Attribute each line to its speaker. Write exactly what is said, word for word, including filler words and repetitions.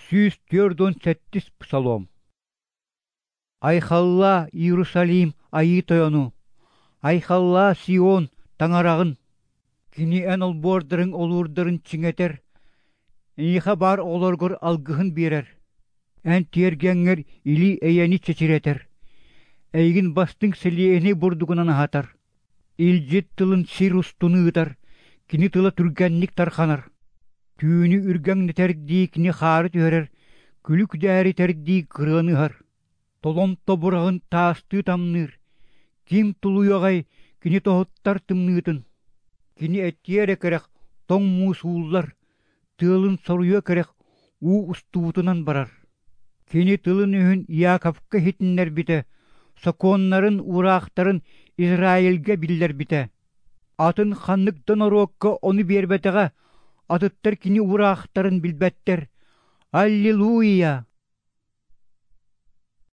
Speaker 1: Сүүс түөрт уон сэттис псалом. Айхаллаа, Иерусалим, Айыы Тойону! Айхаллаа, Сион, Таҥараҕын! Кини эн олбуордарыҥ олуурдарын чиҥэтэр, эйиэхэ баар оҕолоргор алгыһын биэрэр. Эн тиэргэҥҥэр или-эйэни чэчирэтэр, эйигин бастыҥ сэлиэһинэй бурдугунан аһатар. Илдьит тылын сир устун ыытар, кини тыла түргэнник тарҕанар. Түүнү үргэҥнэтэрдии кини хаары түһэрэр, күлү күдээритэрдии кырыаны ыһар. Толон тобураҕын таастыы тамныыр, ким тулуйуоҕай кини тоһуттар тымныытын? Кини этиэ эрэ кэрэх тоҥ муус ууллар, тыалын соруйуо кэрэх уу устубутунан барар. Кини тылын-өһүн Иаковка иһитиннэрбитэ, сокуоннарын, уураахтарын Израильга биллэрбитэ. Атын ханнык да норуокка ону биэрбэтэҕэ, атыттар кини уураахтарын билбэттэр. Аллилуйя!